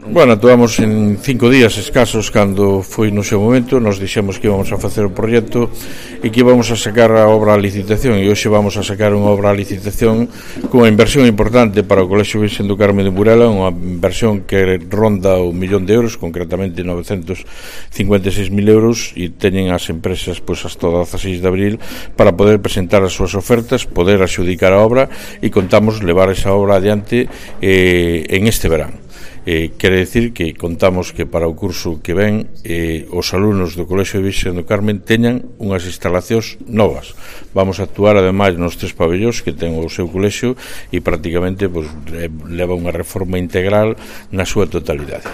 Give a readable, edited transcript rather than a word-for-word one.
Bueno, actuamos en 5 días escasos cando foi no seu momento. Nos dixemos que íbamos a facer o proxecto e que íbamos a sacar a obra a licitación, e hoxe vamos a sacar unha obra a licitación cunha inversión importante para o Colexio Virxen do Carme de Burela, unha inversión que ronda o 1.000.000 de euros, concretamente 956.000 euros, e teñen as empresas hasta o 16 de abril para poder presentar as súas ofertas, poder adxudicar a obra, e contamos levar esa obra adiante en este verán. Quere decir que contamos que para o curso que ven os alumnos do Colexio Virxen do Carmen teñan unhas instalacións novas. Vamos a actuar ademais nos 3 pabellóns que ten o seu colexio, e prácticamente leva unha reforma integral na súa totalidade.